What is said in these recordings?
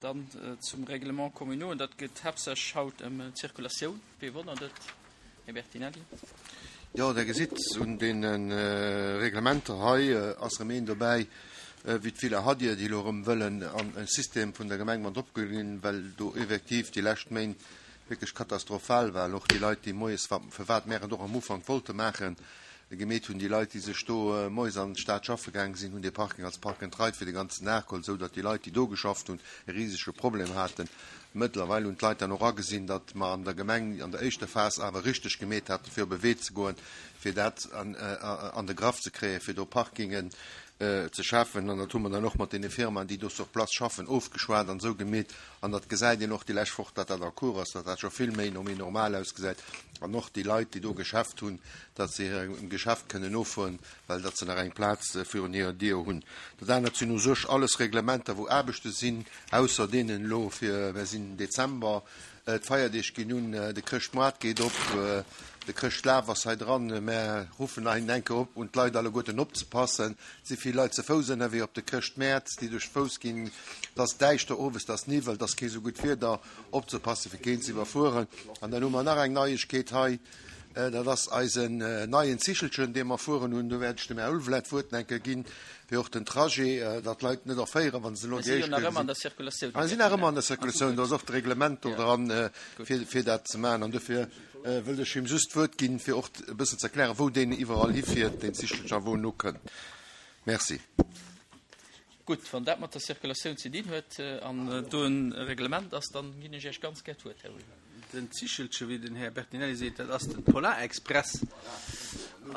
Dann zum Règlement communaux, an dat geet haaptsächlech haut ëm d'Zirkulatioun. Wee wonnert et, Här Bertinelli? Jo, Der gesitt, un deene Reglementer hei ass erëm een dobäi wéi d'Villa Hadir, déi elo erëm wëllen an e System vun der Gemeng mat opgeholl ginn, well do effektiv déi lescht Méint wierklech katastrophal war. Och déi Leit, déi moies, firwat mär et och am Ufank wollte maachen, Gemeet hunn. Déi Leit, déi sech do moies an d'Stad schaffe gaange sinn, hunn dee Parking als Park and Ride fir de ganzen Dag geholl, esou datt déi Leit, déi do geschafft hunn, e risege Problem haten. Mëttlerweil hunn d'Leit dann och agesinn, datt mer an der Gemeng an der éischter Phas awer richteg gemeet haten, fir op e Wee ze goen, fir dat an de Graff ze kréien, fir do Parkingen ze schafen. An dat hu mer dann och mat deene Firmaen, déi do sur place schaffen, ofgeschwat an esou gemeet. An dat gesäit een och déi lescht Woch, datt dat en cours ass, datt dat scho vill méi no méi normal ausgesäit. An och déi Leit, déi do Geschäft hunn, datt se hirem Geschäft kënnen nofueren, well datt se nach eng Plaz virun hirer Dier hunn. Dat anert sinn u sech alles Reglementer, wou Aarbechte sinn, ausser deenen elo fir, mer sinn Dezember, d'Feierdeeg ginn un, de Chrëschtmoart geet op, de Chrëschtlaf ass hei dran. Mer ruffen nach eng Kéier op un d'Leit alleguerten opzepassen. Et si vill Leit ze Fouss ënnerwee op de Chrëschtmäert, déi duerch d'Fouss ginn. Et ass däischter owes, et ass Niwwel, et ass kee sou gutt Wieder, opzepassen, fir keen ze iwwerfueren. An dann hu mer nach eng Neiegkeet hei. Dat ass eisen neien Zichelchen, dee mer fueren hunn. Do wäert ech dem Här Ulvelet d'Wuert enke ginn, fir och den Trajet, datt d'Leit net erféieren, wa se elo déi éischt Kéier gesinn. Mir sinn nach ëmmer an der Circulatioun. Do ass och d'Reglement do dran, fir dat ze maachen. An dofir wëllt ech him just d'Wuert ginn, fir och e bëssen ze erklären, wou deen iwwerall hifiert, deen Zichelchen, a wou en ukënnt. Merci. Gutt, wann dat mat der Circulatioun ze dinn huet an do e Reglement ass, dann ginn ech Iech ganz gär d'Wuert, Här Ulvelet. Den Zichelche, wéi den Här Bertinelli seet, dat ass de Polarexpress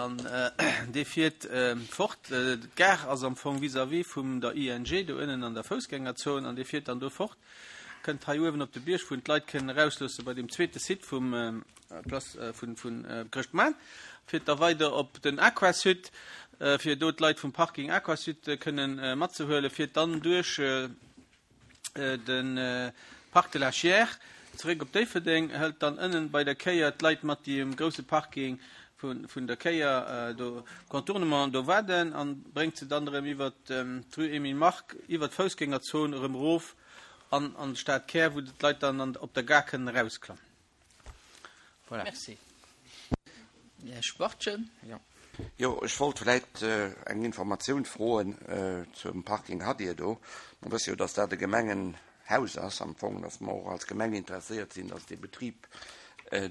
an dee fiert fort. D'Gare ass am Fong vis-à-vis vum der ING do ënnen an der Foussgängerzon an dee fiert dann do fort, kënnt hei uewen op de Bierg, wou en d'Leit kënnen erausloosse bei deem zweete Site vum Place vun Chrëschtmaart, fiert da weider op den Aquasud, fir do d'Leit vum Parking Aquasud kënnen matzehuelen, fiert dann duerch de Parc de la Chiers zeréck op Déifferdeng, hëlt dann ënnen bei der Kéier d'Leit mat, déi um grousse Parking vun der Kéier do, Contournement, do waarden an bréngt se dann erëm iwwert d'Rue Emile Mark, iwwert d'Foussgängerzon erëm erof an an de Stadkär, wou d'Leit dann op der Gare kënnen erausklammen. Voilà. Merci. Här Schwachtgen. Jo. Jo, ech wollt vläit eng Informatioun froen zum Parking Hadir do. Mer wësse jo, dass dat e Gemengenhaus ass am Fong, dass mer och als Gemeng interesséiert sinn, dass dee Betrib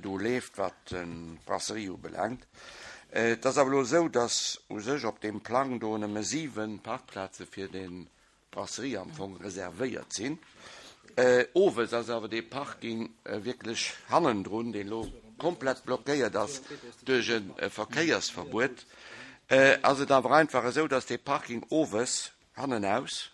do leeft, wat d'Brasserie ubelaangt. Et ass awer elo esou, dass u sech op deem Plang do nëmme 7 Parkplaze fir dee Brasserie am Fong reservéiert sinn. Owes ass awer dee Parking wierklech hannendrun, deen elo komplett blockéiert ass duerch e Verkéiersverbuet, ass et awer einfach esou, dass dee Parking owes hannenaus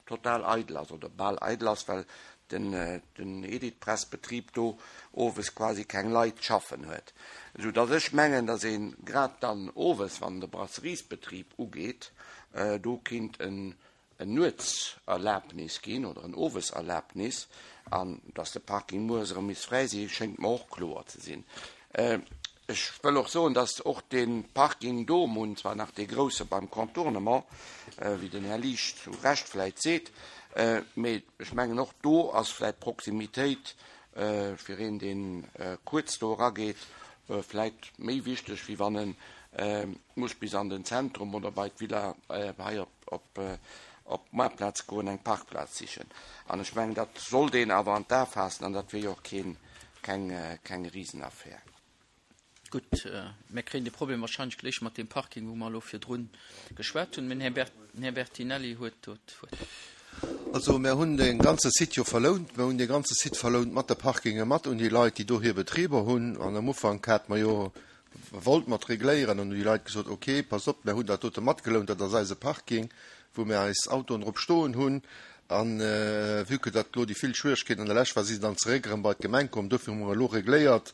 total eidel ass oder bal eidel ass, well den Editpress-Betrib do owes quasi keng Leit schaffen huet. Esou dass ech mengen, dass ee grad dann owes, wann de Brasseriesbetrib ugeet, Do kinnt en Nuetserlabnis ginn oder en Oweserlabnis. An dass de Parking mueres erëm misst fräi si schéngt mer och kloer ze sinn. Ech wëll och soen, dass och dee Parking do, mer hunn zwar nach dee grousse beim Contournement, wéi den Här Liesch zu Recht vläicht seet, mee ech mengen och do ass vläicht d'Proximitéit fir een, dee kuerz do erageet, vläicht méi wichteg, wéi wann en muss bis an den Zentrum oder bei d'Villa hei op d'Moartplaz goen, eng Parkplaz sichen. An ech mengen, dat sollt een awer an d'A faassen an dat wier jo och keen, keng, keng Risenaffär. Gutt, mir kréien de Problem wahrscheinlech gléich mat deem Parking, wou mer elo virdrun geschwat hunn. Mä den Här Bertinelli huet do d'Wuert. Also mir hunn dee ganze Site jo verlount. Mir hunn dee ganze Site verlount mat de Parkinge mat un déi Leit, déi do hir Betriber hunn. An am Ufank hate mer jo wollt mat regléieren an hunn déi Leit gesot, ok, passt op, mir hunn dat dote matgelount, dat ass eise Parking, wou mir eis Autoen drop stoen hunn. A vue que datt elo déi vill Schwieregkeeten an der Lescht war, si se dann zeréck erëm bei d'Gemeng komm. Dofir hu mer elo regléiert.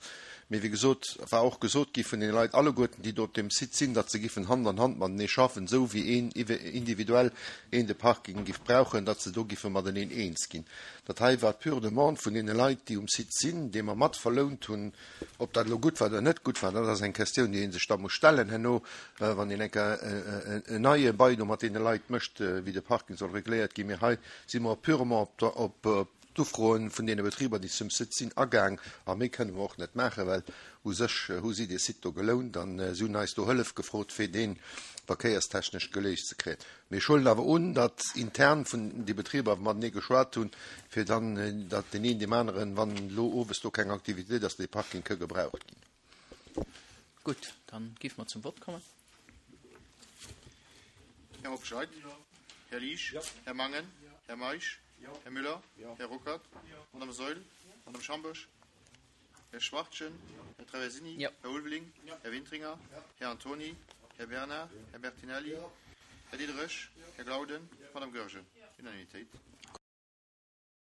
Mee wéi gesot, war och gesot gi vun deene Leit alleguerten, déi do op deem Site sinn, datt se giffen Hand an Hand matenee schaffen, esou wéi een individuell een de Parking giff brauchen, datt se do giffe mateneen eens ginn. Dat hei war d'pure Demande vun deene Leit, déi um Site sinn, déi mer mat verlount hunn. Ob dat elo gutt war oder net gutt war, dat ass eng Questioun, déi ee sech da muss stellen herno, wann een eng Kéier en neie Bail do mat deene Leit mécht, wéi de Parking soll regléiert ginn. Mee hei si mer purement op d'Ufroen vun deene Betriber, déi zum Site sinn, agaang. A méi kënne mer och net maachen, well u sech hu si dee Site do gelount an si hunn eis do Hëllef gefrot, fir dee verkéierstechnesch geléist ze kréien. Mee ech huelen awer un, datt intern vun déi Betriber matenee geschwat hunn, fir dann, datt deen een deem aneren, wann elo owes do keng Aktivitéit ass, dee Parking ka gebraucht ginn. Gutt, dann géife mer zum Vott kommen. Här Hobscheit? Här Liesch? Här Mangen? Här Meisch? Här Müller? Här Ruckert? Madame Saeul? Madame Schambourg? Här Schwachtgen? Här Traversini? Här Ulveling? Här Wintringer? Här Antony? Här Bernard? Här Bertinelli? Här Diderich? Här Glauden? Madame Goergen? Unanimitéit.